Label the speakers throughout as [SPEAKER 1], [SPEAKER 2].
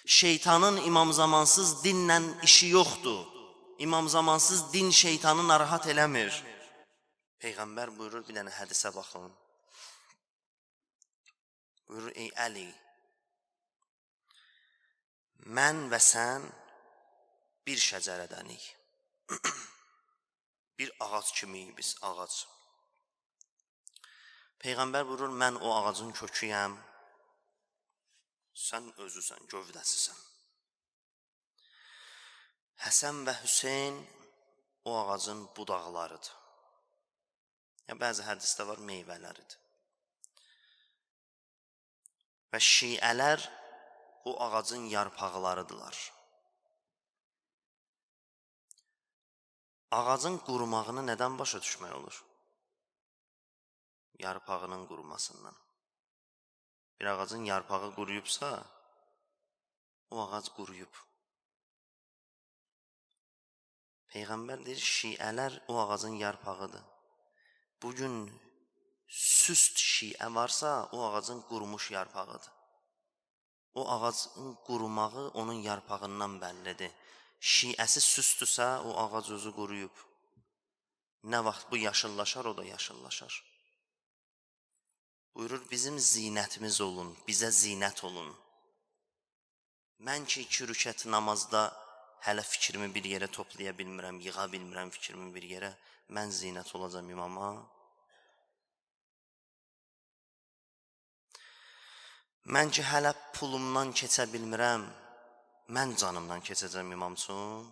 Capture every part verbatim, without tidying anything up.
[SPEAKER 1] Şeytanın imam zamansız dinlə işi yoxdur. İmam zamansız din şeytanı narahat eləmir. Peyğəmbər buyurur, bir dənə hədisə baxın. Buyurur, ey Əli, mən və sən bir şəcərədənik. Bir ağac kimiyik biz, ağac. Peyğəmbər buyurur, mən o ağacın köküyəm, sən özüsən, gövdəsisən. Həsən və Hüseyn o ağacın budaqlarıdır. Ya, bəzi hədisdə var, meyvələridir. Və şiələr o ağacın yarpaqlarıdırlar. Ağacın qurumağını nədən başa düşmək olur? Yarpağının qurumasından. Bir ağacın yarpağı quruyubsa, o ağac quruyub. Peyğəmbər deyir, şiələr o ağacın yarpağıdır. Bugün süst şiə varsa, o ağacın qurumuş yarpağıdır. O ağacın qurumağı onun yarpağından bəllidir. Şiəsi süstdürsə, o ağac özü quruyub. Nə vaxt bu yaşıllaşar, o da yaşıllaşar. Buyurur, bizim zinətimiz olun, bizə zinət olun. Mən ki, iki rükət namazda hələ fikrimi bir yerə toplaya bilmirəm, yığa bilmirəm fikrimi bir yerə, mən zinət olacam imama. Mən ki, hələ pulumdan keçə bilmirəm, mən canımdan keçəcəm imam üçün.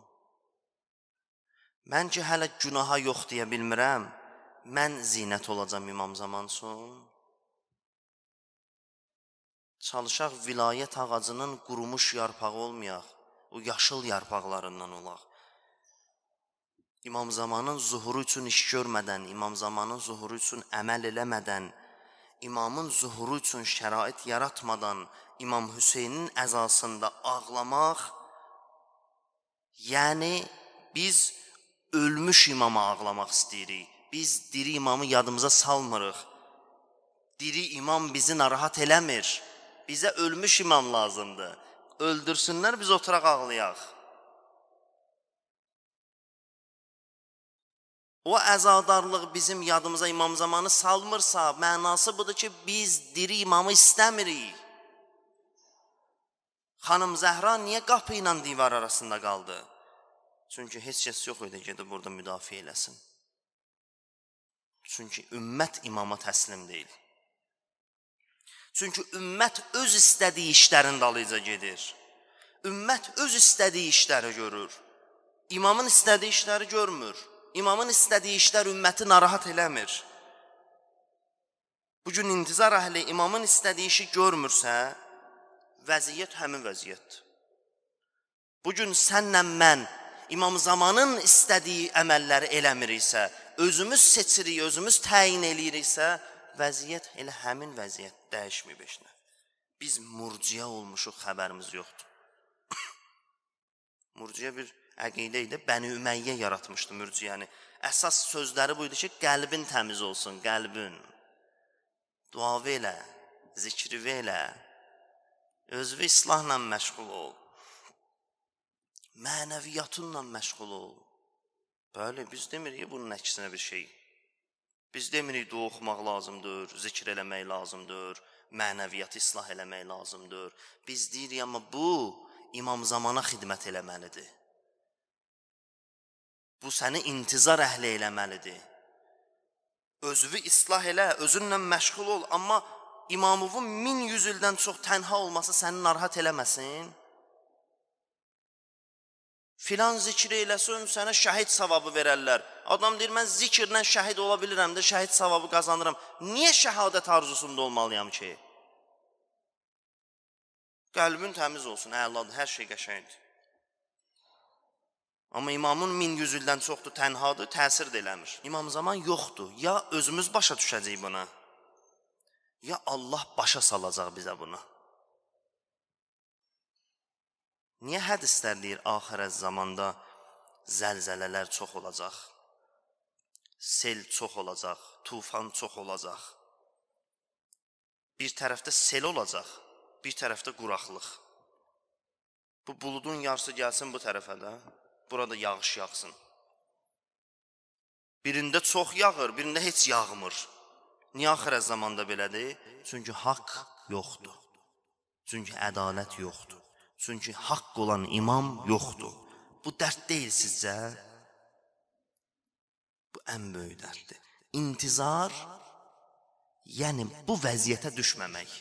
[SPEAKER 1] Mən ki, hələ günaha yox deyə bilmirəm, mən zinət olacam imam zaman üçün. Çalışaq vilayət ağacının qurumuş yarpağı olmayaq, o yaşıl yarpaqlarından olaq. İmam zamanın zuhuru üçün iş görmədən, imam zamanın zuhuru üçün əməl eləmədən, imamın zuhuru üçün şərait yaratmadan, İmam Hüseynin əzasında ağlamaq, yəni biz ölmüş imama ağlamaq istəyirik. Biz diri imamı yadımıza salmırıq. Diri imam bizi narahat eləmir. Bizə ölmüş imam lazımdır. Öldürsünlər, biz oturaq ağlayaq. O əzadarlıq bizim yadımıza imam zamanı salmırsa, mənası budur ki, biz diri imamı istəmirik. Xanım Zəhra niyə qapı ilə divar arasında qaldı? Çünki heç kəs yox idi, gedib burada müdafiə eləsin. Çünki ümmət imama təslim deyil. Çünki ümmət öz istədiyi işlərin dalıyca gedir. Ümmət öz istədiyi işləri görür. İmamın istədiyi işləri görmür. İmamın istədiyi işlər ümməti narahat eləmir. Bugün intizar əhli imamın istədiyi işi görmürsə, vəziyyət həmin vəziyyətdir. Bugün sənlə mən imam zamanın istədiyi əməlləri eləmiriksə, özümüz seçirik, özümüz təyin eləyiriksə, vəziyyət elə həmin vəziyyət dəyişməyib eşinə. Biz murciya olmuşuq, xəbərimiz yoxdur. Murciya bir əqidə idi, Bəni Üməyyə yaratmışdı mürciyəni. Əsas sözləri buydu ki, qəlbin təmiz olsun, qəlbin. Duavı elə, zikri elə, özvü islahla məşğul ol. Mənəviyyatınla məşğul ol. Bəli, biz demirik bunun əksinə bir şey. Biz demirik dua oxumaq lazımdır, zikr eləmək lazımdır, mənəviyyatı islah eləmək lazımdır. Biz deyirik, amma bu imam zamana xidmət eləməlidir. Bu səni intizar əhli eləməlidir. Özünü islah elə, özünlə məşğul ol, amma imamının min yüz ildən çox tənha olması səni narahat eləməsin. Filan zikri eləsin, sənə şəhid savabı verərlər. Adam deyir, mən zikirlə şəhid ola bilirəm də, şəhid savabı qazanıram. Niyə şəhadət arzusunda olmalıyam ki? Qəlbin təmiz olsun, əladır, hər şey qəşəngdir. Amma imamın min yüz ildən çoxdur, tənhadır, təsir də eləmir. İmam zaman yoxdur. Ya özümüz başa düşəcəyik buna, ya Allah başa salacaq bizə bunu. Niyə hədislər deyir, axirət zamanda zəlzələlər çox olacaq, sel çox olacaq, tufan çox olacaq. Bir tərəfdə sel olacaq, bir tərəfdə quraqlıq. Bu buludun yarısı gəlsin bu tərəfə də. Burada yağış yağsın. Birində çox yağır, birində heç yağmır. Niyə axirət zamanda belədir? Çünki haqq yoxdur. Çünki ədalət yoxdur. Çünki haqq olan imam yoxdur. Bu dərd deyil sizcə? Bu ən böyük dərddir. İntizar, yəni bu vəziyyətə düşməmək.